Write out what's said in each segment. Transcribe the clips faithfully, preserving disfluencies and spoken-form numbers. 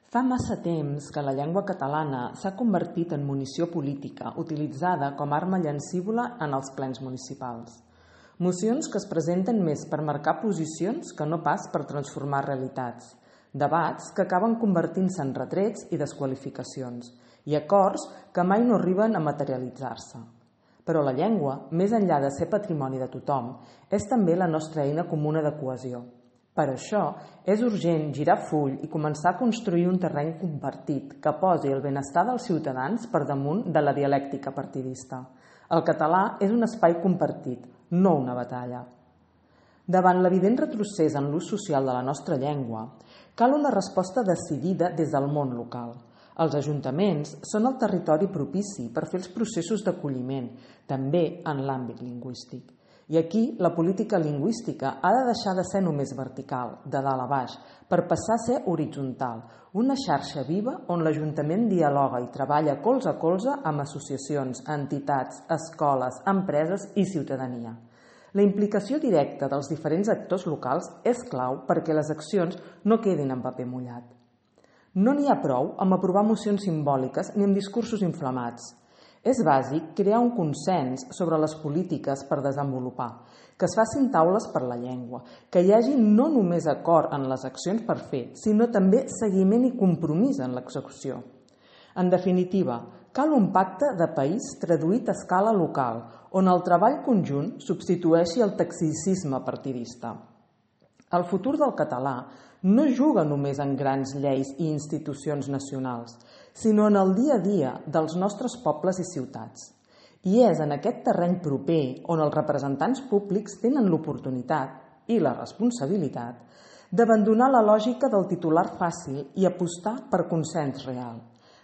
Fa massa temps que la llengua catalana s'ha convertit en munició política utilitzada com a arma llancívola en els plens municipals. Mocions que es presenten més per marcar posicions que no pas per transformar realitats. Debats que acaben convertint-se en retrets i desqualificacions i acords que mai no arriben a materialitzar-se. Però la llengua, més enllà de ser patrimoni de tothom, és també la nostra eina comuna de cohesió. Per això, és urgent girar full i començar a construir un terreny compartit que posi el benestar dels ciutadans per damunt de la dialèctica partidista. El català és un espai compartit, no una batalla. Davant l'evident retrocés en l'ús social de la nostra llengua, cal una resposta decidida des del món local. Els ajuntaments són el territori propici per fer els processos d'acolliment, també en l'àmbit lingüístic. I aquí la política lingüística ha de deixar de ser només vertical, de dalt a baix, per passar a ser horitzontal, una xarxa viva on l'Ajuntament dialoga i treballa colze a colze amb associacions, entitats, escoles, empreses i ciutadania. La implicació directa dels diferents actors locals és clau perquè les accions no quedin en paper mullat. No n'hi ha prou amb aprovar mocions simbòliques ni amb discursos inflamats. És bàsic crear un consens sobre les polítiques per desenvolupar, que es facin taules per la llengua, que hi hagi no només acord en les accions per fer, sinó també seguiment i compromís en l'execució. En definitiva, cal un pacte de país traduït a escala local, on el treball conjunt substitueixi el tacticisme partidista. El futur del català no juga només en grans lleis i institucions nacionals, sinó en el dia a dia dels nostres pobles i ciutats. I és en aquest terreny proper on els representants públics tenen l'oportunitat i la responsabilitat d'abandonar la lògica del titular fàcil i apostar per consens real,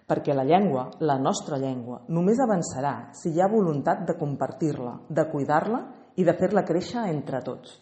perquè la llengua, la nostra llengua, només avançarà si hi ha voluntat de compartir-la, de cuidar-la i de fer-la créixer entre tots.